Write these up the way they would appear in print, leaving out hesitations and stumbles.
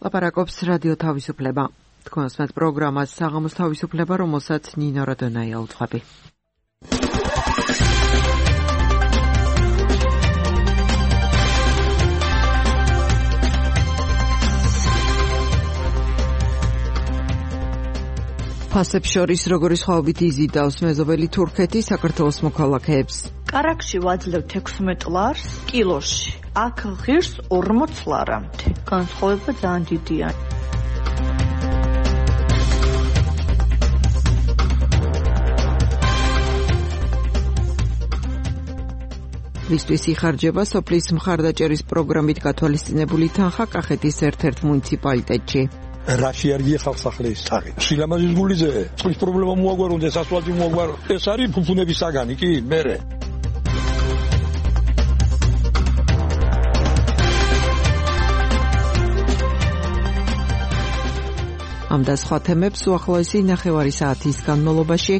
ლაპარაკობს რადიო თავისუფლება. თქვენსმეთ პროგრამას საღამოს თავისუფლება, რომელსაც ნინო როდონაია უძღვები. ფასებს შორის როგორი სხვაობით იზიდავს მეზობელი თურქეთი საქართველოს მოქალაქეებს. კარაქში ვაძლევთ 16 ლარს კილოში. აქ ღირს 40 ლარამდე. განსხვავება ძალიან დიდია. მისთვის იხარჯება სოფლის მხარდაჭერის პროგრამით გათვალისწინებული თანხა კახეთის ერთ-ერთ მუნიციპალიტეტში. რაში არ გიხავ სახლის თაღი. შილამაზის გულიზე წყლის პრობლემა მოაგვარონდეს, ასფალტი მოაგვარო. ეს არის ფუფუნების საგანი, კი, მერე. ამ და სხვა თემებს უახლოესი ნახევარი საათის განმავლობაში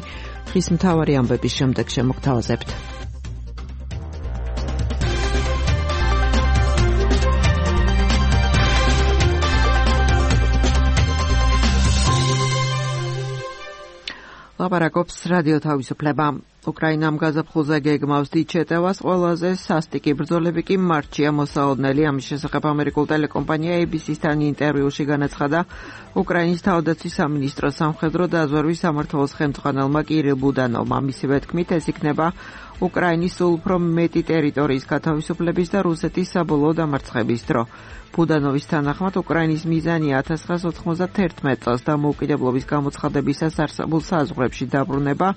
დღის მთავარი ამბების შემდეგ შემოგთავაზებთ. ლაპარაკობს რადიო თავისუფლება. უკრაინამ გაზაფხულზე გეგმავს დიდ შეტევას, ყველაზე სასტიკი ბრძოლები კი მარტშია მოსაოდნელი. ამის შესახებ ამერიკულ ტელეკომპანია ABC-სთან ინტერვიუში განაცხადა უკრაინის თავდაცვის სამინისტროს სამხედრო დაზვერვის სამმართველოს ხელმძღვანელმა კირილ ბუდანოვმა. მისივე თქმით, ეს იქნება უკრაინის სულ უფრო მეტი ტერიტორიის გათავისუფლების და რუსეთის საბოლოო დამარცხების დრო. ბუდანოვის თანახმად უკრაინის მიზანია 1991 წელს დამოუკიდებლობის გამოცხადებისას არსებულ საზღვრებში დაბრუნება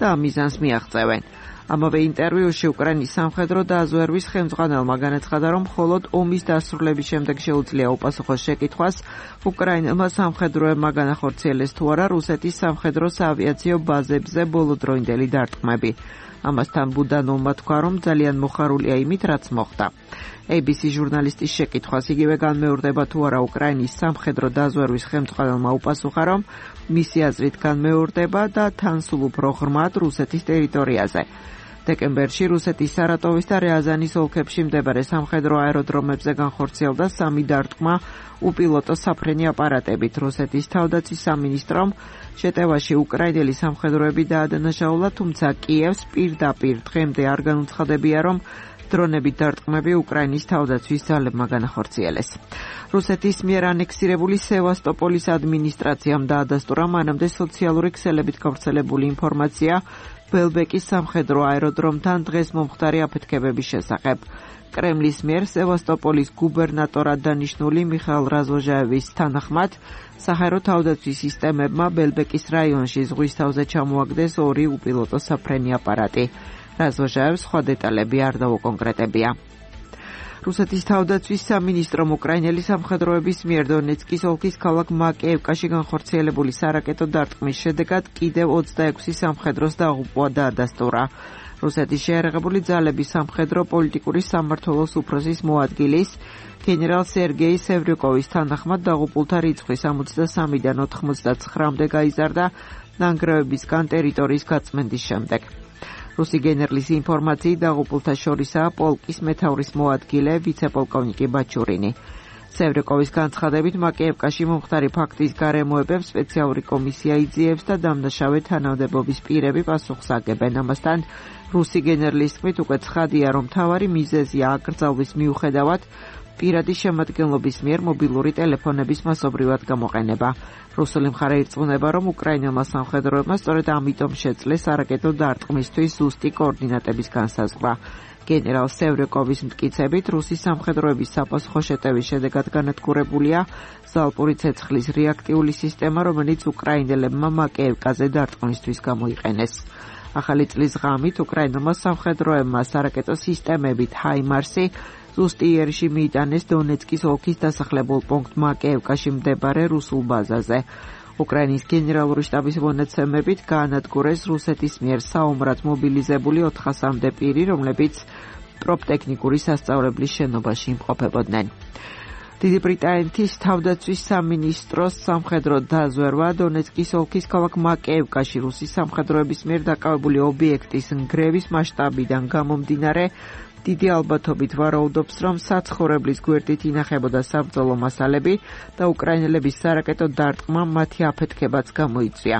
და ამ მიზანს მიაღწევენ. ამავე ინტერვიუში უკრაინის სამხედრო დაზვერვის ხელმძღვანელმა განაცხადა, რომ მხოლოდ ომის დასრულების შემდეგ შეუძლია უპასუხოს შეკითხვას, უკრაინელმა სამხედროებმა განახორციელეს თუ არა რუსეთის სამხედრო საავიაციო ბაზებზე ბოლოდროინდელი დარტყმები. ამასთან ბუდანოვმა თქვა, რომ ძალიან მოხარულია იმით, რაც მოხდა. ABC ჟურნალისტის შეკითხვას იგივე განმეორდება თუ არა უკრაინის სამხედრო დაზვერვის ხელმძღვანელმა უპასუხა, რომ მისი აზრით განმეორდება და თან სულ უფრო ღრმად რუსეთის ტერიტორიაზე. დეკემბერში რუსეთის სარატოვის და რიაზანის ოლქებში მდებარე სამხედრო აეროდრომებზე განხორციელდა 3 დარტყმა უპილოტო საფრენი აპარატებით. რუსეთის თავდაცვის სამინისტრომ შეტევაში უკრაინელი სამხედროები დაადანაშაულა, თუმცა კიევს პირდაპირ დღემდე არ განუცხადებია, რომ დრონებით დარტყმები უკრაინის თავდაცვის ძალებმა განახორციელეს. რუსეთის მიერ ანექსირებული სევასტოპოლის ადმინისტრაციამ დაადასტურა მანამდე სოციალური ქსელებით გავრცელებული ინფორმაცია ბელბეკის სამხედრო აეროდრომთან დღეს მომხდარი აფეთქებების შესახებ. კრემლის მიერ სევასტოპოლის გუბერნატორად დანიშნული მიხაილ რაზვოჟაევის თანახმად, საჰაერო თავდაცვის სისტემებმა ბელბეკის რაიონში ზღვის თავზე ჩამოაგდეს 2 უპილოტო საფრენი აპარატი. რაზვოჟაევს სხვა დეტალები არ დაუკონკრეტებია. რუსეთის თავდაცვის სამინისტრომ უკრაინელი სამხედროების მიერ დონეცკის ოლქის ქალაქ მაკეევკაში განხორციელებული სარაკეტო დარტყმის შედეგად კიდევ 26 სამხედროს დაღუპვა დაადასტურა. რუსეთის შეიარაღებული ძალების სამხედრო პოლიტიკური სამმართველოს უფროსის მოადგილის გენერალ სერგეი სევრიკოვის თანახმად დაღუპულთა რიცხვი 63-დან 99-მდე გაიზარდა ნანგრევებისგან ტერიტორიის გაწმენდის შემდეგ. რუსი გენერლის ინფორმაციით დაღუპულთა შორისაა პოლკის მეთაურის მოადგილე ვიცე-პოლკოვნიკი ბაჩურინი. სევრიკოვის განცხადებით მაკეევკაში მომხდარი ფაქტის გარემოებებს სპეციალური კომისია იძიებს და დამნაშავე თანამდებობის პირები პასუხს აგებენ. ამასთან რუსი გენერლის თქმით უკვე ცხადია, რომ მთავარი მიზეზია აკრძალვის მიუხედავად პირადი შემადგენლობის მიერ მობილური ტელეფონების მასობრივად გამოყენება. რუსული მხარე ირწმუნება, რომ უკრაინელმა სამხედროებმა სწორედ ამიტომ შეძლეს სარაკეტო დარტყმისთვის ზუსტი კოორდინატების განსაზღვრა. გენერალ სევრიკოვის მტკიცებით, რუსი სამხედროების საპასუხო შეტევის შედეგად განადგურებულია ზალპური ცეცხლის რეაქტიული სისტემა, რომელიც უკრაინელებმა მაკეევკაზე დარტყმისთვის გამოიყენეს. ახალი წლის ღამით უკრაინელმა სამხედროებმა სარაკეტო სისტემებით ჰაიმარსი ზუსტი იერიში მიიტანეს დონეცკის ოლქის დასახლებულ პუნქტ მაკეევკაში მდებარე რუსულ ბაზაზე. უკრაინის გენერალური შტაბის მონაცემებით გაანადგურეს რუსეთის მიერ საომრად მობილიზებული 400-მდე პირი, რომლებიც პროფტექნიკური სასწავლებლის შენობაში იმყოფებოდნენ. დიდი ბრიტანეთის თავდაცვის სამინისტროს სამხედრო დაზვერვა დონეცკის ოლქის ქალაქ მაკეევკაში რუსის სამხედროების მიერ დაკავებული ობიექტის ნგრევის მასშტაბიდან გამომდინარე დიდი ალბათობით ვარაუდობს, რომ საცხოვრებლის გვერდით ინახებოდა საბრძოლო მასალები და უკრაინელების სარაკეტო დარტყმამ მათი აფეთქებაც გამოიწვია.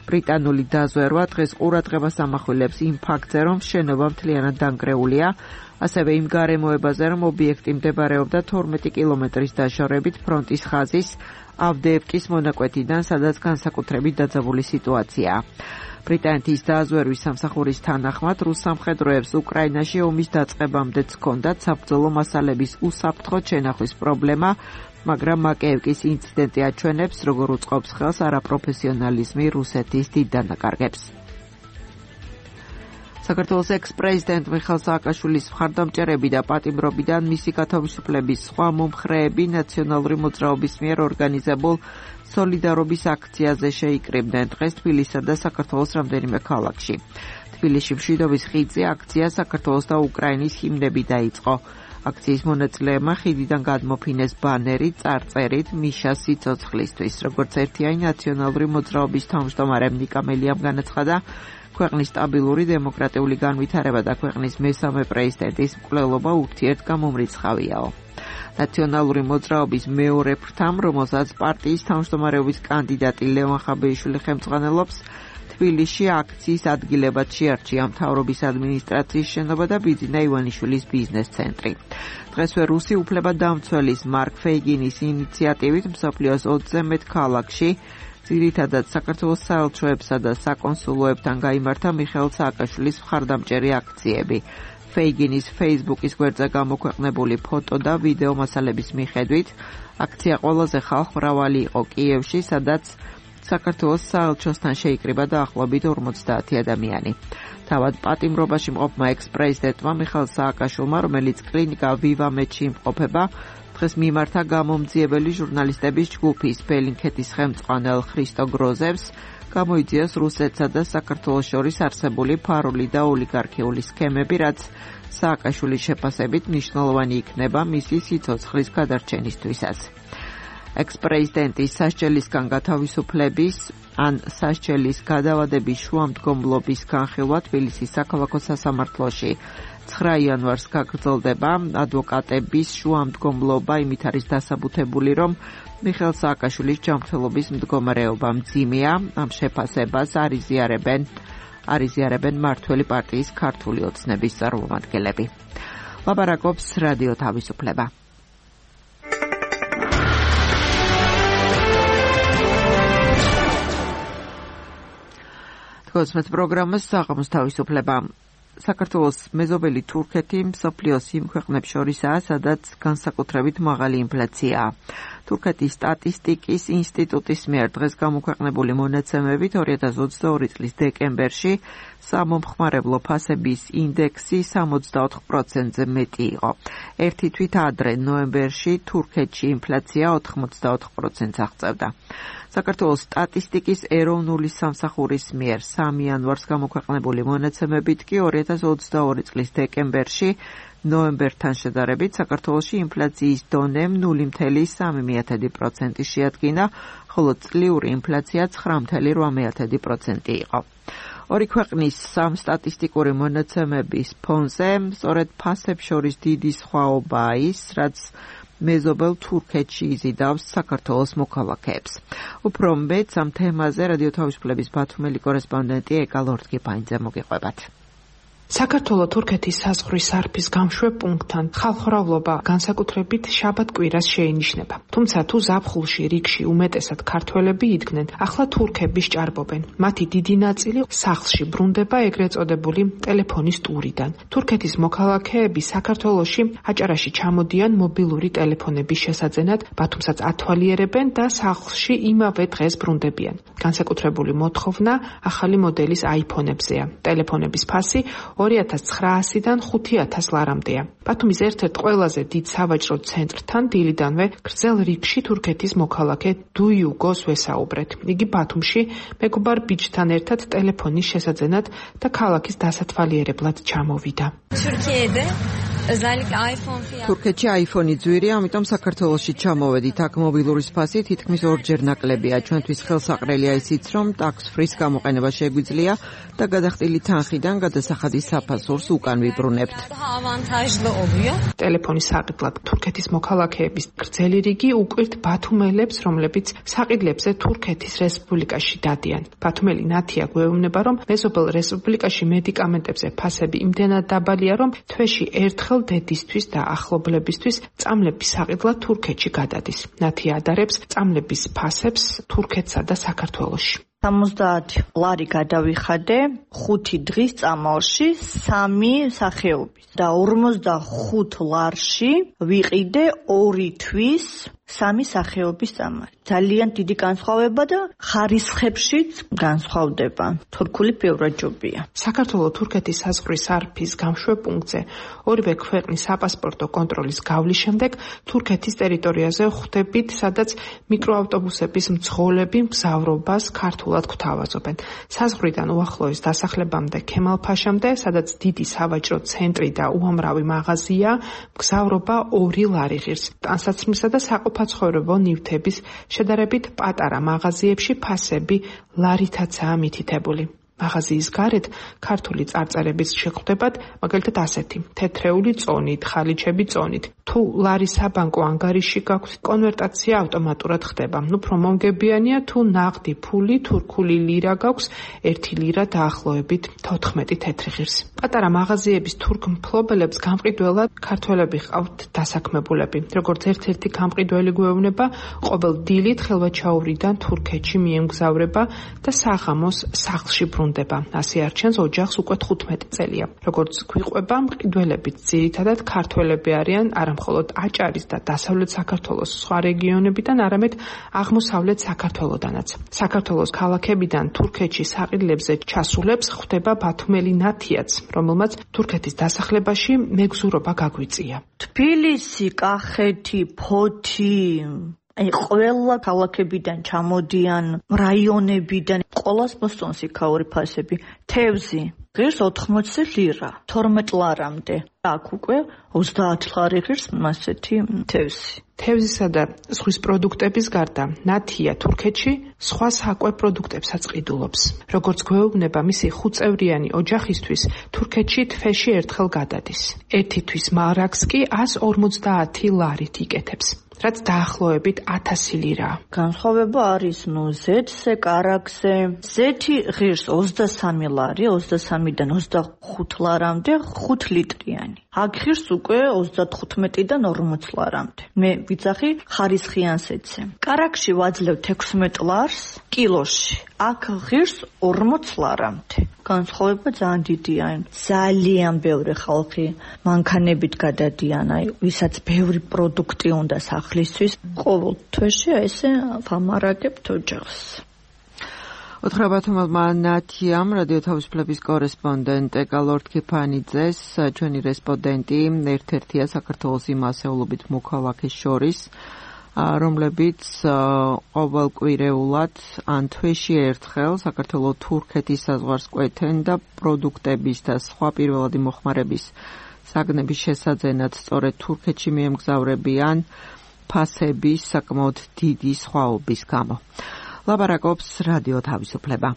ბრიტანული დაზვერვა დღეს ყურადღებას ამახვილებს იმ ფაქტზე, რომ შენობა მთლიანად დანგრეულია, ასევე იმ გარემოებაზე, რომ ობიექტი მდებარეობდა 12 კილომეტრის დაშორებით ფრონტის ხაზის ავდეევკის მონაკვეთიდან, სადაც განსაკუთრებით დაძაბული სიტუაციაა. ბრიტანეთის დაზვერვის სამსახურის თანახმად, რუს სამხედროებს უკრაინაში ომის დაწყებამდეც ჰქონდათ საბრძოლო მასალების უსაფრთხოდ შენახვის პრობლემა, მაგრამ მაკეევკის ინციდენტი აჩვენებს, როგორ უწყობს ხელს არაპროფესიონალიზმი რუსეთის დიდ დანაკარგებს. საქართველოს ექს-პრეზიდენტ მიხეილ სააკაშვილის მხარდამჭერები და პატიმრობიდან მისი გათავისუფლების სხვა მომხრეები ნაციონალური მოძრაობის მიერ ორგანიზებულ სოლიდარობის აქციაზე შეიკრიბნენ დღეს თბილისსა და საქართველოს რამდენიმე ქალაქში. თბილისში მშვიდობის ხიდზე აქცია საქართველოს და უკრაინის ჰიმნები დაიწყო. აქციის მონაწილეებმა ხიდიდან გადმოფინეს ბანერი წარწერით მიშას სიცოცხლისთვის. როგორც ერთიანი ნაციონალური მოძრაობის თავმჯდომარე ნიკა მელიამ განაცხადა, ქვეყნის სტაბილური დემოკრატიული განვითარება და ქვეყნის მესამე პრეზიდენტის მკვლელობა ურთიერთგამომრიცხავიაო. ნაციონალური მოძრაობის მეორე ფრთამ, რომელსაც პარტიის თავმჯდომარეობის კანდიდატი ლევან ხაბეიშვილი ხელმძღვანელობს, თბილისში აქციის ადგილებად შეარჩია მთავრობის ადმინისტრაციის შენობა და ბიძინა ივანიშვილის ბიზნეს ცენტრი. დღესვე რუსი უფლებადამცველის მარკ ფეიგინის ინიციატივით მსოფლიოს 20-ზე მეტ ქალაქში ძირითადად საქართველოს საელჩოებსა და საკონსულოებთან გაიმართა მიხეილ სააკაშვილის მხარდამჭერი აქციები. ფეიგინის Facebook-ის გვერდზე გამოქვეყნებული ფოტო და ვიდეო მასალების მიხედვით, აქცია ყველაზე ხალხმრავალი იყო კიევში, სადაც საქართველოს საელჩოსთან შეიკრიბა დაახლოებით 50 ადამიანი. თავად პატიმრობაში მყოფმა ექს-პრეზიდენტმა მიხეილ სააკაშვილმა, რომელიც კლინიკა ვივამედში იმყოფება, დღეს მიმართა გამომძიებელი ჟურნალისტების ჯგუფის ბელინქეთის ხელმძღვანელ ხრისტო გროზევს, გამოიძიეს რუსეთსა და საქართველოს შორის არსებული ფარული და ოლიგარქიული სქემები, რაც სააკაშვილის შეფასებით მნიშვნელოვანი იქნება მისი სიცოცხლის გადარჩენისთვისაც. ექს-პრეზიდენტის სასჯელისგან გათავისუფლების ან სასჯელის გადავადების შუამდგომლობის განხილვა თბილისის საქალაქო სასამართლოში 9 იანვარს გაგრძელდება. ადვოკატების შუამდგომლობა იმით არის დასაბუთებული, რომ მიხეილ სააკაშვილის ჯანმრთელობის მდგომარეობა მძიმეა. ამ შეფასებას არიზიარებენ მართველი პარტიის ქართული ოცნების წარმომადგენლები. ლაპარაკობს რადიო თავისუფლება. თქოსმეთ პროგრამას საღამოს თავისუფლება. საქართველოს მეზობელი თურქეთი მსოფლიოს იმ ქვეყნებს შორისაა, სადაც განსაკუთრებით მაღალი ინფლაციაა. თურქეთის სტატისტიკის ინსტიტუტის მიერ დღეს გამოქვეყნებული მონაცემებით 2022 წლის დეკემბერში სამომხმარებლო ფასების ინდექსი 64%-ზე მეტი იყო. ერთი თვით ადრე ნოემბერში თურქეთში ინფლაცია 84%-ს აღწევდა. საქართველოს სტატისტიკის ეროვნული სამსახურის მიერ 3 იანვარს გამოქვეყნებული მონაცემებით კი 2022 წლის დეკემბერში ნოემბერთან შედარებით საქართველოში ინფლაციის დონე 0.3% შეადგინა, ხოლო წლიური ინფლაცია 9.8% იყო. ორი ქვეყნის სამსტატისტიკური მონაცემების ფონზე სწორედ ფასებს შორის დიდი სხვაობაა ის, რაც მეზობელ თურქეთში იზიდავს საქართველოს მოქალაქეებს. უფრო მეტ ამ თემაზე რადიო თავისუფლების ბათუმელი კორესპონდენტი ეკა ლორთგიფანიძე მოგიყვებათ. საქართველო-თურქეთის საზღვრის სარფის გამშვებ პუნქტთან ხალხმრავლობა განსაკუთრებით შაბათ-კვირას შეინიშნება. თუმცა თუ ზაფხულში რიგში უმეტესად ქართველები იდგნენ, ახლა თურქები სჭარბობენ. მათი დიდი ნაწილი სახლში ბრუნდება ეგრეთ წოდებული ტელეფონის ტურიდან. თურქეთის მოქალაქეები საქართველოში აჭარაში ჩამოდიან მობილური ტელეფონების შესაძენად, ბათუმსაც ათვალიერებენ და სახლში იმავე დღეს ბრუნდებიან. განსაკუთრებული მოთხოვნა ახალი მოდელის iPhone-ებზეა. ტელეფონების ფასი 2900-დან 5000 ლარამდეა. ბათუმის ერთ-ერთ ყველაზე დიდ სავაჭრო ცენტრთან დილიდანვე გრძელ რიგში თურქეთის მოქალაქე დუიუგოს ვესაუბრეთ. იგი ბათუმში მეგობარ ბიჭთან ერთად ტელეფონის შესაძენად და ქალაქის დასათვალიერებლად ჩამოვიდა. Türkiye'de თურქეთში iPhone-ი ძვირია, ამიტომ საქართველოში ჩამოვედით. აქ მობილური სფასი თითქმის ორჯერ ნაკლებია. ჩვენთვის ხელსაყრელია ისიც, რომ tax-free-ს გამოყენება შეგვიძლია და გადახდილი თანხიდან გადასახადის საფასურს უკან ვიბრუნებთ. ტელეფონის საყიდლად თურქეთის მოქალაქეების გრძელი რიგი უკვირთ ბათუმელებს, რომლებიც საყიდლებზე თურქეთის რესპუბლიკაში დადიან. ბათუმელი ნათია გვეუბნება, რომ მეზობელ რესპუბლიკაში მედიკამენტებზე ფასები იმდენად დაბალია, რომ თვეში ერთხელ დედისთვის და ახლობლებისთვის წამლების საყიდლად თურქეთში გადადის. ნათია ადარებს წამლების ფასებს თურქეთსა და საქართველოში. 70 ლარი გადავიხადე 5 დღის წამალში 3 სახეობის და 45 ლარში ვიყიდე 2 თვის 3 სახეობის წამალი. ძალიან დიდი განსხვავება და ხარისხებშიც განსხვავდება. თურქული ბევრაჯობია. საქართველო-თურქეთის საზღვრის არფის გამშვეპუნქტზე ორივე ქვეყნის საპასპორტო კონტროლის გავლის შემდეგ თურქეთის ტერიტორიაზე ხვდებით, სადაც მიკროავტობუსების მძღოლები მგზავრობას ქართულად გვთავაზობენ. საზღვრიდან უახლოეს დასახლებამდე ქემალ-ფაშამდე, სადაც დიდი სავაჭრო ცენტრი და უამრავი მაღაზია, მგზავრობა 2 ლარი ღირს. ტანსაცმლისა და საყოფაცხოვრებო ნივთების შედარებით პატარა მაღაზიებში ფასები ლარითაცაა მითითებული. მაღაზიის გარეთ ქართული წარწერების შეხვდებათ, მაგალითად ასეთი: თეთრეული წონით, ხალიჩები წონით. თუ ლარი საბანკო ანგარიში გაქვთ, კონვერტაცია ავტომატურად ხდება. უფრო მომგებიანია თუ ნაღდი ფული, თურქული ლირა გაქვს, 1 ლირა დაახლოებით 14 თეთრი ღირს. პატარა მაღაზიების თურქ მფლობელებს გამყიდველად ქართველები ჰყავთ დასაქმებულები. როგორც ერთ-ერთი გამყიდველი გვეუბნება, ყოველ დილით ხელვაჩაურიდან თურქეთში მიემგზავრება და საღამოს სახლში ბრუნდება. ასე არჩენს ოჯახს უკვე 15 წელია. როგორც გვიყვება, მყიდველები ძირითადად ქართველები არიან, არა მხოლოდ აჭარის და დასავლეთ საქართველოს სხვა რეგიონებიდან, არამედ აღმოსავლეთ საქართველოდანაც. საქართველოს ქალაქებიდან თურქეთში საყიდლებზე ჩასულებს ხვდება ბათუმელი ნათიაც, რომელმაც თურქეთის დასახლებაში მეგზურობა გაგვიწია. თბილისი, კახეთი, ფოთი, ყველა ქალაქებიდან ჩამოდიან, რაიონებიდან, ყოველას მოსწონს იქაური ფასები. თევზი ღირს 80 ლირა, 12 ლარამდე. აქ უკვე 30 ლარი ღირს მასეთი თევზი. თევზისა და ზღვის პროდუქტების გარდა, ნათია თურქეთში სხვა საკვე პროდუქტებსაც ყიდულობს. როგორც გვეუბნება, მისი 5 წევრიანი ოჯახისთვის თურქეთში თვეში ერთხელ გადადის. ერთი თვის მარაგს კი 150 ლარით იკეთებს, რაც დაახლოებით 1000 ლირაა. განსხვავება არის ზეთზე, კარაგზე. ზეთი ღირს 23 ლარი, 23-დან 25 ლარამდე 5 ლიტრიანი. აქ ღირს უკვე 35-დან 40 ლარამდე. მე ვიძახი ხარისხიანსეთზე. კარაგში ვაძლევ 16 ლარს კილოში. აქ ღირს 40 ლარამდე. განსხვავება ძალიან დიდია. ძალიან ბევრი ხალხი მანქანებით გადადიან, ვისაც ბევრი პროდუქტი უნდა სახლისთვის. ყოველ თვეში ესე ვამარაგებთ ოჯახს. ოთხრაბათუმელმა ნათიამ რადიო თავისუფლების კორესპონდენტ ეკალორდ ქიფანიძეს ჩვენი რესპონდენტი ერთ-ერთია საქართველოს იმ ასეულობით მოქალაქეს შორის, რომლებიც ყოველკვირეულად ან თვეში ერთხელ საქართველო-თურქეთის საზღვარს კვეთენ და პროდუქტების და სხვა პირველადი მოხმარების საგნების შესაძენად სწორედ თურქეთში მიემგზავრებიან ფასების საკმაოდ დიდი სხვაობის გამო. ლაბარაკობს რადიო თავისუფლება.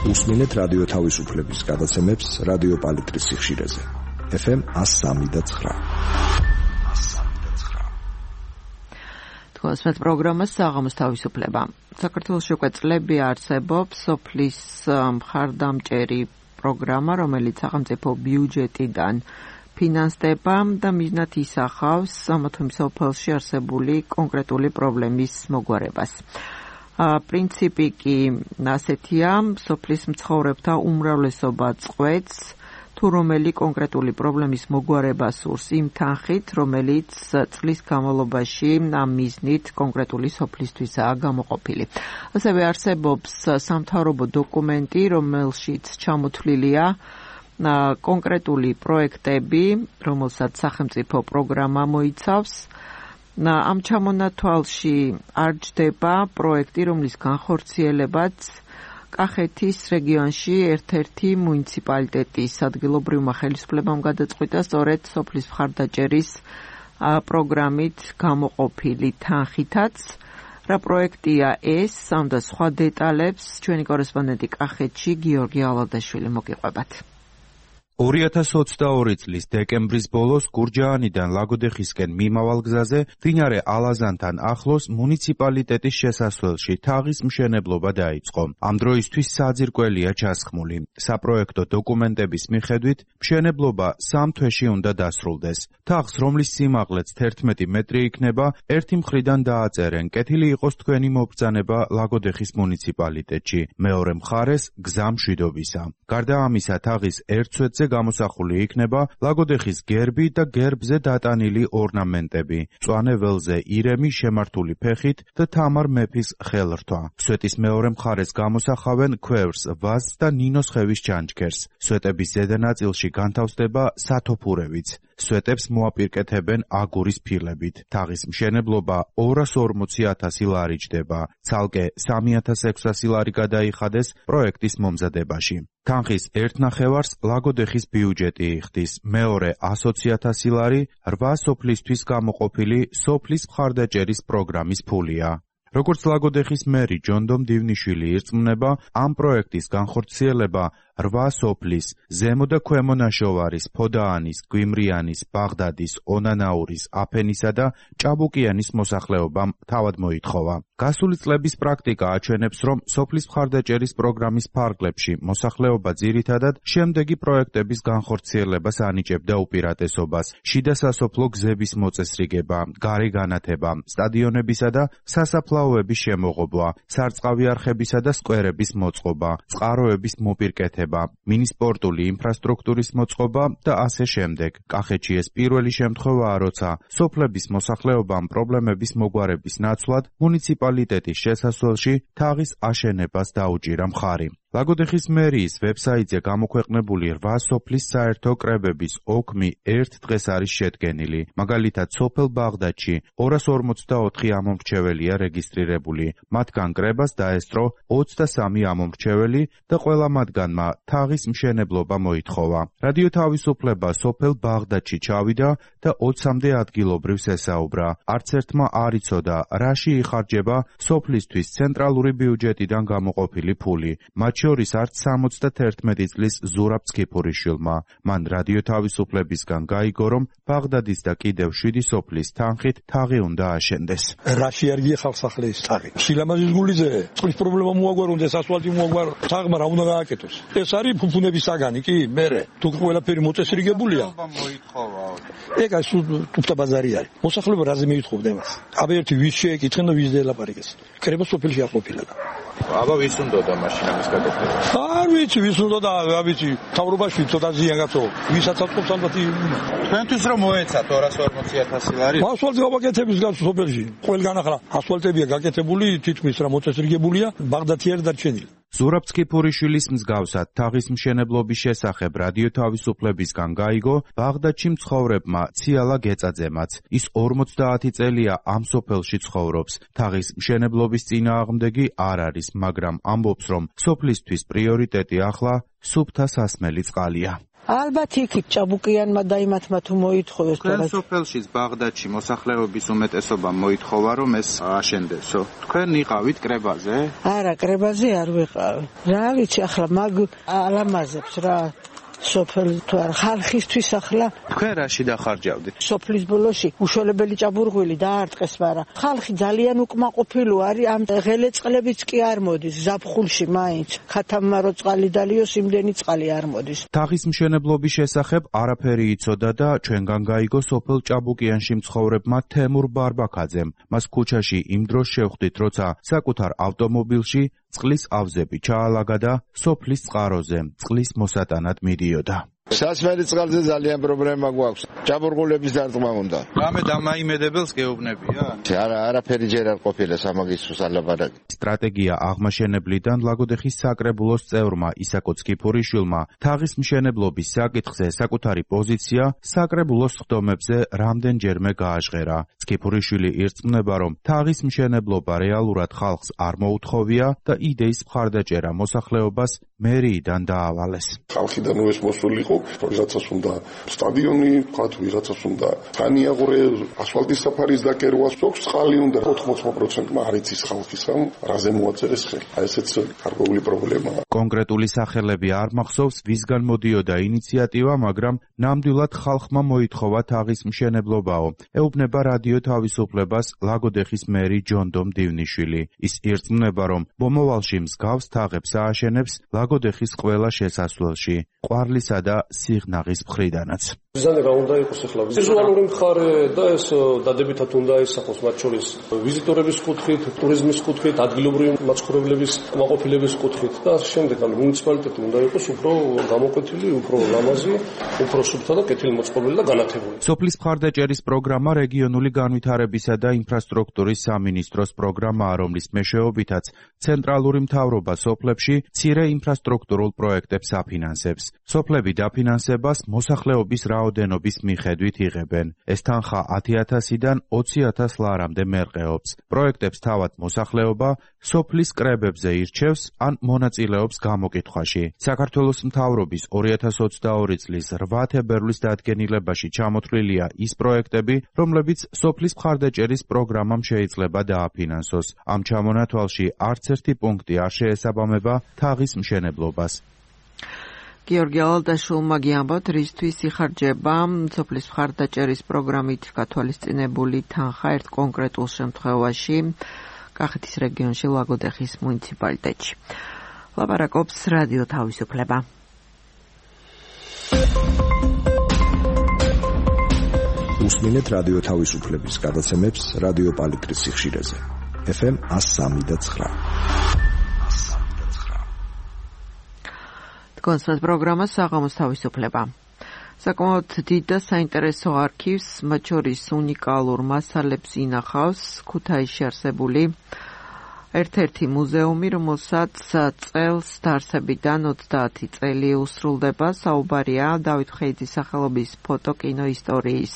უსმენთ რადიო თავისუფლების გადაცემებს რადიო პალიტრის სიხშირეზე. FM 103.9. თქვენს პროგრამას საღამოს თავისუფლება. საქართველოში უკვე წლები არსებობს სოფლის მხარდამჭერი პროგრამა, რომელიც სახელმწიფო ბიუჯეტიდან ფინანსდება და მიზნად ისახავს ამა თუ იმ სოფელში არსებული კონკრეტული პრობლემის მოგვარებას. პრინციპი კი ასეთია, სოფლის მცხოვრებთა უმრავლესობა წყვეტს თუ რომელი კონკრეტული პრობლემის მოგვარებას სურს იმ თანხით, რომელიც წლის განმავლობაში ამ მიზნით კონკრეტული სოფლისთვისაა გამოყოფილი. ასევე არსებობს სამთავრობო დოკუმენტი, რომელშიც ჩამოთვლილია კონკრეტული პროექტები, რომელსაც სახელმწიფო პროგრამა მოიცავს. ამ ჩამონათვალში არ ჯდება პროექტი, რომლის განხორციელებაც კახეთის რეგიონში ერთ-ერთი მუნიციპალიტეტის ადგილობრივმა ხელისუფლებამ გადაწყვიტა სწორედ სოფლის მხარდაჭერის პროგრამით გამოყოფილი თანხითაც. რა პროექტია ეს? ამ და სხვა დეტალებს ჩვენი კორესპონდენტი კახეთში გიორგი ალადაშვილი მოგიყვებათ. 2022 წლის დეკემბრის ბოლოს გურჯაანიდან ლაგოდეხისკენ მიმავალ გზაზე მდინარე ალაზანთან ახლოს მუნიციპალიტეტის შესასვლელში თაღის მშენებლობა დაიწყო. ამ დროისთვის საძირკველია ჩასხმული. საპროექტო დოკუმენტების მიხედვით მშენებლობა 3 თვეში უნდა დასრულდეს. თაღს, რომლის სიმაღლეც 11 მეტრი იქნება, ერთი მხრიდან დააწერენ კეთილი იყოს თქვენი მობრძანება ლაგოდეხის მუნიციპალიტეტში, მეორე მხარეს გზა მშვიდობისა. გარდა ამისა, თაღის ერთ სვეტზე გამოსახული იქნება ლაგოდეხის გერბი და გერბზე დატანილი ორნამენტები, მწვანე ველზე ირემი შემართული ფეხით და თამარ მეფის ხელრთვა. სვეტის მეორე მხარეს გამოსახავენ ქვევრს, ვაზს და ნინოს ხევის ჩანჩქერს. სვეტების ზედა ნაწილში განთავსდება სათოფურებიც. სვეტებს მოაპირკეთებენ აგურის ფილებით. თაღის მშენებლობა 240,000 ლარი ჯდება. ცალკე 3,600 ლარი გადაიხადეს პროექტის მომზადებაში. თანხის ერთ ნახევარს ლაგოდეხის ბიუჯეტი იხდის, მეორე 120,000 ლარი 8 სოფლისთვის გამოყოფილი სოფლის მხარდაჭერის პროგრამის ფულია. როგორც ლაგოდეხის მერი ჯონდომ დივნიშვილი ირწმუნება, ამ პროექტის განხორციელება 8 სოფლის, ზემო და ქვემო ნაშოვარის, ფოდაანის, გვიმრიანის, ბაღდადის, ონანაურის, აფენისა და ჭაბუკიანის მოსახლეობამ თავად მოითხოვა. გასული წლების პრაქტიკა აჩვენებს, რომ სოფლის მხარდაჭერის პროგრამის ფარგლებში მოსახლეობა ძირითადად შემდეგი პროექტების განხორციელებას ანიჭებდა უპირატესობას: შიდა სასოფლო გზების მოწესრიგება, გარე განათება, სტადიონებისა და სასაფლაოების შემოღობვა, სარწყავი არხებისა და სკვერების მოწყობა, წყაროების მოპირკეთება, მინისპორტული ინფრასტრუქტურის მოწყობა და ასე შემდეგ. კახეთში ეს პირველი შემთხვევაა, როცა სოფლების მოსახლეობამ პრობლემების მოგვარების ნაცვლად მუნიციპალიტეტის შესასვლელში თაღის აშენებას დაუჭირა მხარი. ლაგოდეხის მერიის ვებსაიტზე გამოქვეყნებული 8 სოფლის საერთო კრებების ოქმი ერთ დღეს არის შედგენილი. მაგალითად, სოფელ ბაღდადში 244 ამომრჩეველია რეგისტრირებული. მათგან კრებას დაესწრო 23 ამომრჩეველი და ყველა მათგანმა თაღის მშენებლობა მოითხოვა. რადიო თავისუფლება სოფელ ბაღდადში ჩავიდა და 20-მდე ადგილობრივს ესაუბრა. არც ერთმა არ იცოდა, რაში იხარჯება სოფლისთვის ცენტრალური ბიუჯეტიდან გამოყოფილი ფული. შორის არც 71 წლის ზურაბ ცქიფურიშვილმა. მან რადიო თავისუფლებისგან გაიგო, რომ ბაღდადის და კიდევ 7 სოფლის თანხით თაღი უნდა აშენდეს. რაში არ გიხავს ახლა ეს თაღი? შილამაზის გულიზე წყლის პრობლემა მოაგვარონდეს, ასფალტი მოაგვარო, თაღმა რა უნდა გააკეთოს? ეს არის ფუფუნების საგანი, კი, მერე. თუ ყველაფერი მოწესრიგებულია. ეგა თუფთა ბაზარი არის. მოსახლეობა რაზე მიითხოვდა მას? აბა ერთი ვის შეეკითხენ და ვის დელაპარაკეს. კრება სოფელში არ ყოფილა. აბა ვის უნდოდა მაშინ ამის გადაწყვეტა? არ ვიცი, ვის უნდოდა, რა ვიცი, თავრობაში ცოტა ზიან გაწო. ვისაც აწყობს ალბათ. თქვენთვის რომ მოეცათ 240,000 ლარი? ასფალტი გაკეთების გასულ სოფელში. ყველგან ახლა ასფალტებია გაკეთებული, თითქმის რა მოწესრიგებულია, ბაღდათი არ დარჩენილი. ზურაბ ცქიფურიშვილის მსგავსად თაღის მშენებლობის შესახებ რადიო თავისუფლებისგან გაიგო ბაღდადში მცხოვრებმა ციალა გეწაძემაც. ის 50 წელია ამ სოფელში ცხოვრობს. თაღის მშენებლობის წინააღმდეგი არ არის, მაგრამ ამბობს, რომ სოფლისთვის პრიორიტეტი ახლა სუფთა სასმელი წყალია. ალბათ იქით ჭაბუკიანმა და იმათმა თუ მოითხოვეს. თქვენ სოფელში ბაღდადში მოსახლეობის უმეტესობა მოითხოვა, რომ ეს აშენდესო. თქვენ იყავით კრებაზე? არა, კრებაზე არ ვიყავი. რა ვიცი, ახლა მაგ ალამაზებს რა სოფელი თუ არა ხალხისთვის ახლა თქვენ რაში დახარჯავდით? სოფლის ბოლოში უშუალებელი ჭაბურღვილი დაარტყეს, მაგრამ ხალხი ძალიან უკმაყოფილო არის, ამ ღელე წყლებიც კი არ მოდის ზაფხულში მაინც. ხათამარო წყალი დალიოს, იმდენი წყალი არ მოდის. თაღის მშენებლობის შესახებ არაფერი იცოდა და ჩვენგან გაიგო სოფელ ჭაბუკიანში მცხოვრებმა თემურ ბარბაქაძემ. მას ქუჩაში იმ დროს შევხვდით, როცა საკუთარ ავტომობილში წყლის ავზები ჩაალაგა და სოფლის წყაროზე წყლის მოსატანად მიდიოდა. სასმელი წყალზე ძალიან პრობლემა გვაქვს. ჭაბურღულების დარტყმა უნდა. რამე დამაიმედებელს გეუბნებია? არაფერი ჯერ არ ყოფილა სამაგისტროს ალაბარაკი. სტრატეგია აღმაშენებლიდან ლაგოდეხის საკრებულოს წევრმა ისაკო ცქიფურიშვილმა თაღის მშენებლობის საკითხზე საკუთარი პოზიცია საკრებულოს ხდომებზე რამდენჯერმე გააჟღერა. ცქიფურიშვილი ირწმუნება, რომ თაღის მშენებლობა რეალურად ხალხს არ მოუთხოვია და იდეის მხარდაჭერა მოსახლეობას მერიიდან დაავალეს. ხალხიდან ეს მოსული იყო, ვიღაცას უნდა სტადიონი, თქვათ, ვიღაცას უნდა თანიაღურე, ასფალტის საფარის დაკერვა, ზოგს წყალი უნდა 80%-მა არ იცის ხალხისამ, რაზე მოაწერეს ხელი. აი ესეც გარკვეული პრობლემაა. კონკრეტული სახელები არ მახსოვს, ვისგან მოდიოდა ინიციატივა, მაგრამ ნამდვილად ხალხმა მოითხოვა თაღის მშენებლობაო. ეუბნება რადიო თავისუფლებას ლაგოდეხის მერი ჯონდო მდივნიშვილი. ის ირწმუნება, რომ მომავალში მსგავს თაღებს ააშენებს ლაგოდეხის ყველა შესასვლელში, ყვარლისა და სიღნაღის მხრიდანაც. მიზანი რა უნდა იყოს ახლა? ვიზუალური მხარე და ეს დადებითად უნდა ისახოს, მათ შორის ვიზიტორების კუთხით, ტურიზმის კუთხით, ადგილობრივი მაცხოვრებლების კმაყოფილების კუთხით და შემდეგ მუნიციპალიტეტი უნდა იყოს უფრო გამოკვეთილი, უფრო ლამაზი, უფრო სუფთა და კეთილმოწყობილი და განათებული. სოფლის მხარდაჭერის პროგრამა რეგიონული განვითარებისა და ინფრასტრუქტურის სამინისტროს პროგრამაა, რომლის მეშვეობითაც ცენტრალური მთავრობა სოფლებში მცირე ინფრასტრუქტურულ პროექტებს აფინანსებს. სოფლები დაფინანსებას მოსახლეობის რაოდენობის მიხედვით იღებენ. ეს თანხა 10,000-დან 20,000 ლარამდე მერყეობს. პროექტებს თავად მოსახლეობა სოფლის კრებებზე ირჩევს ან მონაწილეობს გამოკითხვაში. საქართველოს მთავრობის 2022 წლის 8 თებერვლის დადგენილებაში ჩამოთვლილია ის პროექტები, რომლებიც სოფლის მხარდაჭერის პროგრამამ შეიძლება დააფინანსოს. ამ ჩამონათვალში არც ერთი პუნქტი არ შეესაბამება თაღის მშენებლობას. გიორგი ალადაშვილმა გიამბოთ, რისთვის იხარჯება სოფლის მხარდაჭერის პროგრამით გათვალისწინებული თანხა ერთ კონკრეტულ შემთხვევაში კახეთის რეგიონში ლაგოდეხის მუნიციპალიტეტში. ლაპარაკობს რადიო თავისუფლება. უსმინეთ რადიო თავისუფლების გადაცემებს რადიო პალიტრის სიხშირეზე. FM 103.9. კონსერტ პროგრამა საღამოს თავისუფლება. საკმაოდ დიდ და საინტერესო არქივს, მათ შორის უნიკალურ მასალებს ინახავს ქუთაისში არსებული ერთ-ერთი მუზეუმი, რომელსაც წელს დაარსებიდან 30 წელი უსრულდება. საუბარია დავით ხეიძის სახელობის ფოტოკინო ისტორიის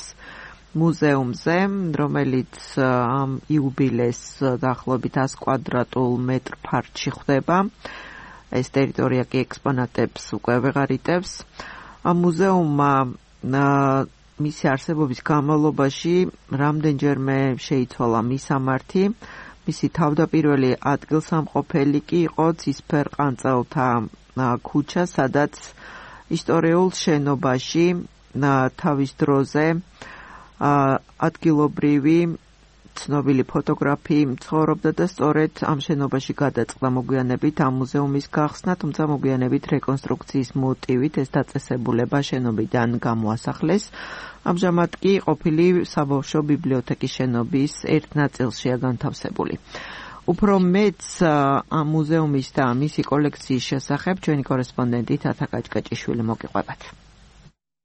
მუზეუმზე, რომელიც ამ იუბილეს დაახლოებით 100 კვადრატულ მეტრ ფართში ხვდება. ეს ტერიტორია კი ექსპონატებს უკვე ვეღარ იტევს. ამ მუზეუმმა მისი არსებობის განმავლობაში რამდენჯერმე შეიცვალა მისამართი. მისი თავდაპირველი ადგილსამყოფელი კი იყო ცისფერყანწელთა ქუჩა, სადაც ისტორიულ შენობაში თავის დროზე ადგილობრივი ცნობილი ფოტოგრაფი ცხოვრობდა და სწორედ ამ შენობაში გადაწყდა მოგვიანებით ამ მუზეუმის გახსნა, თუმცა მოგვიანებით რეკონსტრუქციის მოტივით ეს დაწესებულება შენობიდან გამოასახლეს. ამჟამად კი ყოფილი საბავშვო ბიბლიოთეკის შენობის ერთ ნაწილშია განთავსებული. უფრო მეც ამ მუზეუმის და მისი კოლექციის შესახებ ჩვენი კორესპონდენტი თათა კაჭკაჭიშვილი მოგიყვებათ.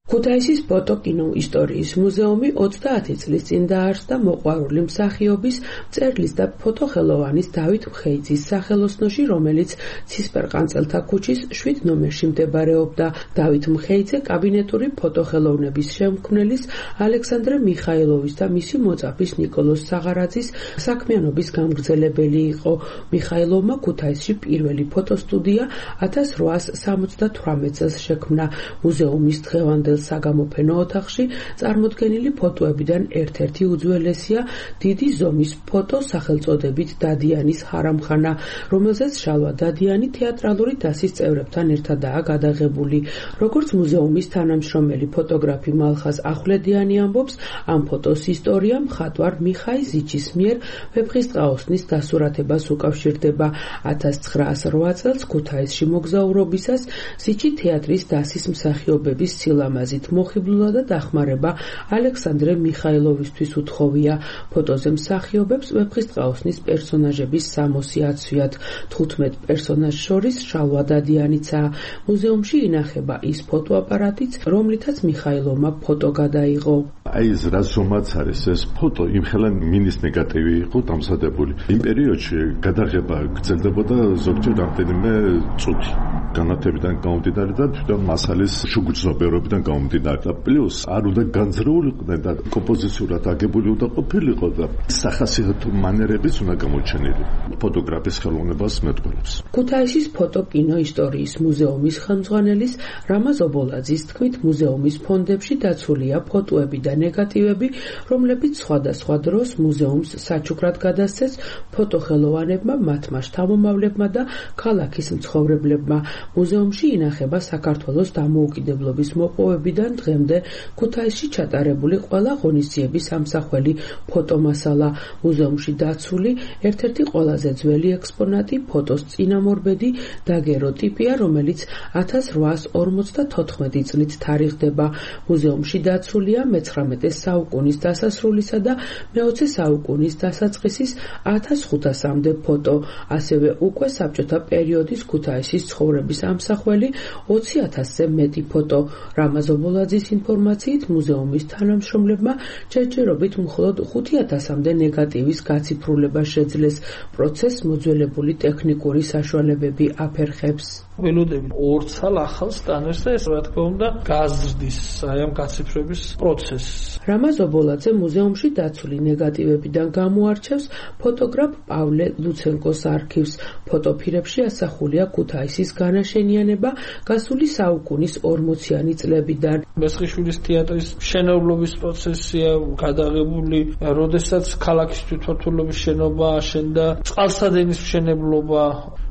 ქუთაისის ფოტოკინო ისტორიის მუზეუმი 30 წლის წინ დაარსდა მოყვარული მსახიობის, მწერლის და ფოტოხელოვანის დავით ხეიძის სახელოსნოში, რომელიც ცისფერყანწელთა ქუჩის 7 ნომერში მდებარეობდა. დავით ხეიძე კაბინეტური ფოტოხელოვნების შემქმნელის ალექსანდრე მიხაილოვის და მისი მოწაფის ნიკოლოზ საღარაძის საქმიანობის გამგრძელებელი იყო. მიხაილოვმა ქუთაისში პირველი ფოტოსტუდია 1878 წელს შექმნა. მუზეუმის დღევანდელ საგამოფენო ოთახში წარმოდგენილი ფოტოებიდან ერთ-ერთი უძველესია დიდი ზომის ფოტო სახელწოდებით დადიანის ჰარამხანა, რომელზეც შალვა დადიანი თეატრალური დასის წევრებთან ერთადაა გადაღებული. როგორც მუზეუმის თანამშრომელი ფოტოგრაფი მალხაზ ახვლედიანი ამბობს, ამ ფოტოს ისტორია მხატვარ მიხაი ზიჩის მიერ ვეფხისტყაოსნის დასურათებას უკავშირდება. 1908 წელს ქუთაისში მოგზაურობისას ზიჩი თეატრის დასის მსახიობების სილამაზე აზრით მოხიბლულა და დახმარება ალექსანდრე მიხაილოვისთვის უთხოვია. ფოტოზე მსახიობებს ვეფხისტყაოსნის პერსონაჟების 60 აცვიათ, 15 პერსონაჟს შორის შალვა დადიანიცაა. მუზეუმში ინახება ის ფოტოაპარატიც, რომლითაც მიხაილოვმა ფოტო გადაიღო. აი ეს რაზომაც არის ეს ფოტო იმხელა მინის ნეგატივი იყო დამზადებული. იმ პერიოდში გადაღება გრძელდებოდა ზოგჯერ რამდენიმე წუთი. განათებიდან გამომდინარე და თვითონ მასალის შუგრძნობერობიდან გამომდინარე და პლუს არ უნდა განზრეულიყვნენ და კომპოზიციურად აგებული უნდა ყოფილიყო და სახასიათო მანერებიც უნდა გამოჩენილი ფოტოგრაფის ხელოვნებას მეტყველებს. ქუთაისის ფოტოკინო ისტორიის მუზეუმის ხელმძღვანელის რამაზ ობოლაძის თქმით, მუზეუმის ფონდებში დაცულია ფოტოები და ნეგატივები, რომლებიც სხვადასხვა დროს მუზეუმს საჩუქრად გადასცეს ფოტოხელოვანებმა, მათმა შთამომავლებმა და ქალაქის მცხოვრებლებმა. მუზეუმში ინახება საქართველოს დამოუკიდებლობის მოპოვებიდან დღემდე ქუთაისში ჩატარებული ყველა ღონისძიების ამსახველი ფოტომასალა. მუზეუმში დაცული ერთ-ერთი ყველაზე ძველი ექსპონატი ფოტოს წინამორბედი დაგეროტიპია, რომელიც 1854 წლით თარიღდება. მუზეუმში დაცულია მე-19 საუკუნის დასასრულისა და მე-20 საუკუნის დასაწყისის 1500-მდე ფოტო, ასევე უკვე საბჭოთა პერიოდის ქუთაისის ცხოვრების ამსახველი 20,000-ზე მეტი ფოტო. რამაზ ობოლაძის ინფორმაციით, მუზეუმის თანამშრომლებმა ჯერჯერობით მხოლოდ 5,000-მდე ნეგატივის გაციფრულება შეძლეს. პროცესს მოძველებული ტექნიკური საშუალებები აფერხებს. ველოდები 2 წელ ახალ სკანერს და ეს რა თქმა უნდა გაზრდის აი ამ გაციფრების პროცესს. რამაზ ობოლაძე მუზეუმში დაცული ნეგატივებიდან გამოარჩევს ფოტოგრაფ პავლე ლუცენკოს არქივს. ფოტოფირებში ასახულია ქუთაისის განაშენიანება გასული საუკუნის 40-იანი წლებიდან. მესხიშვილის თეატრის მშენებლობის პროცესია გადაღებული, როდესაც ქალაქის თვითმმართველობის შენობა აშენდა, წყალსადენის მშენებლობა,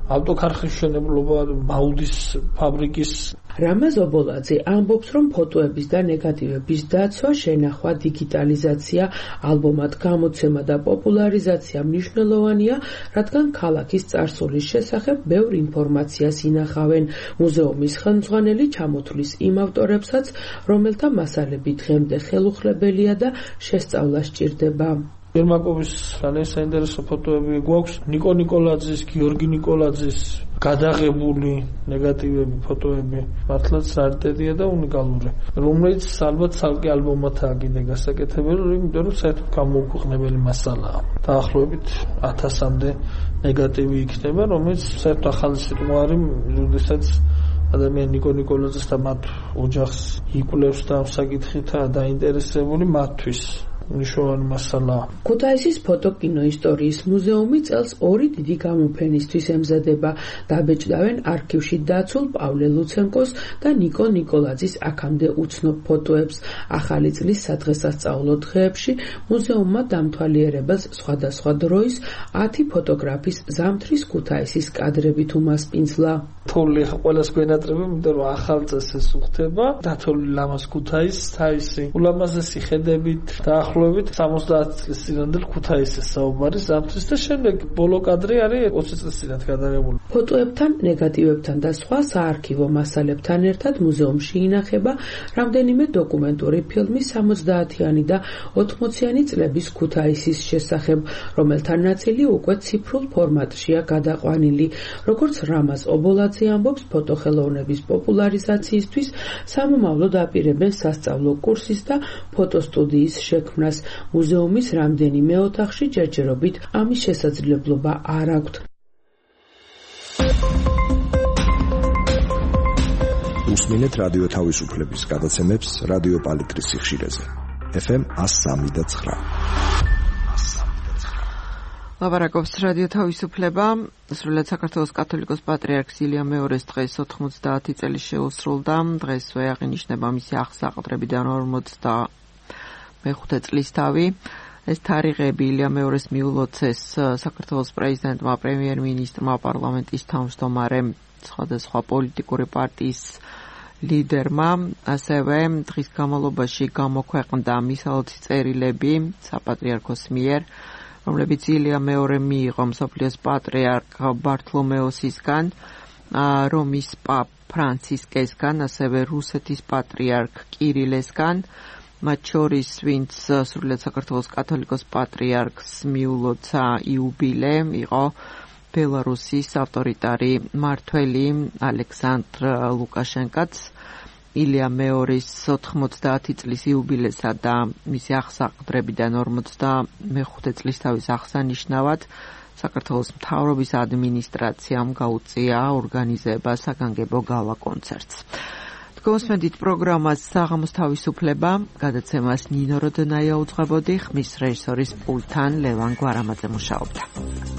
ავტოქარხნის მშენებლობა, მაუდის ფაბრიკის. რამაზ ობოლაძე ამბობს, რომ ფოტოების და ნეგატივების დაცვა, შენახვა, დიგიტალიზაცია, ალბომად გამოცემა და პოპულარიზაცია მნიშვნელოვანია, რადგან ქალაქის წარსულის შესახებ ბევრ ინფორმაციას ინახავენ. მუზეუმის ხელმძღვანელი ჩამოთვლის იმ ავტორებსაც, რომელთა მასალები დღემდე ხელუხლებელია და შესწავლა სჭირდება. ერმაკოვის ძალიან საინტერესო ფოტოები გვაქვს, ნიკო ნიკოლაძის, გიორგი ნიკოლაძის გადაღებული ნეგატივები, ფოტოები მართლაც რარიტეტია და უნიკალური, რომელიც ალბათ ცალკე ალბომათაა კიდე გასაკეთებელი, იმიტომ რომ საერთოდ გამოუქვეყნებელი მასალაა. დაახლოებით 1000-მდე ნეგატივი იქნება, რომელიც საერთოდ ახალი სიტყვა არის, როდესაც ადამიანი ნიკო ნიკოლაძეს და მათ ოჯახს იკვლევს და ამ საკითხითაა დაინტერესებული მათთვის. ნიშნავენ მასალა. ქუთაისის ფოტოკინო ისტორიის მუზეუმი წელს 2 დიდი გამოფენისთვის ემზადება. დაბეჭდავენ არქივში დაცულ პავლე ლუცენკოს და ნიკო ნიკოლაძის აქამდე უცნობ ფოტოებს. ახალი წლის სადღესასწაულო დღეებში მუზეუმმა დამთვალიერებელს სხვადასხვა დროის 10 ფოტოგრაფის ზამთრის ქუთაისის კადრებით უმასპინძლა. თოვლი ყველას გვენატრება, იმიტომ რომ ახალ წესს უხდება. დათოვლი ლამაზ ქუთაისს თავისი ულამაზესი ხედებით დაახლოებით 70 წლის წინანდელ ქუთაისის საუბარი ზამთრის და შემდეგ ბოლო კადრი არის 20 წლის წინათ გადაღებული. ფოტოებთან, ნეგატივებთან და სხვა საარქივო მასალებთან ერთად მუზეუმში ინახება რამდენიმე დოკუმენტური ფილმი 70-იანი და 80-იანი წლების ქუთაისის შესახებ, რომელთა ნაწილი უკვე ციფრულ ფორმატშია გადაყვანილი. როგორც რამაზ ობოლაძე ამბობს, ფოტოხელოვნების პოპულარიზაციისთვის სამომავლოდ აპირებენ სასწავლო კურსის და ფოტოსტუდიის შექმნას. მუზეუმის რამდენიმე ოთახში ჯერჯერობით ამის შესაძლებლობა არ აქვთ. უსმინეთ რადიო თავისუფლების გადაცემებს რადიო პალიტრის სიხშირეზე. FM 103.9. ლაპარაკობს რადიო თავისუფლება. სრულად საქართველოს კათოლიკოს პატრიარქს ილია მეორის დღეს 90 წელი შეუსრულდა. დღესვე აღინიშნება მისი აღსაყდრებიდან 45 წლის თავი. ეს თარიღები ილია მეორის მიულოცეს საქართველოს პრეზიდენტმა, პრემიერ-მინისტრმა, პარლამენტის თავმჯდომარემ, სხვადასხვა პოლიტიკური პარტიის ლიდერმა, ასევე დღის განმავლობაში გამოქვეყნდა მისალოცი წერილები საპატრიარქოს მიერ, რომლებიც ილია მეორე მიიღო მსოფლიოს პატრიარქ ბართლომეოსისგან. რომის პაპ ფრანცისკესგან, ასევე რუსეთის პატრიარქ კირილესგან, მათ შორის ვინც სრულიად საქართველოს კათოლიკოს პატრიარქს მიულოცა იუბილე იყო ბელარუსის ავტორიტარი მმართველი ალექსანდრ ლუკაშენკაც ილია მეორის 90 წლის იუბილესა და მისი აღსაყდრებიდან 55 წლის თავის აღსანიშნავად საქართველოს მთავრობის ადმინისტრაციამ გაუწია ორგანიზება საგანგებო გალა კონცერტს. გოსმენდით პროგრამას საღამოს თავისუფლება, გადაცემას ნინო როდონაია უძღვებოდი, ხმის რეჟისორის პულტთან ლევან გვარამაძე მუშაობდა.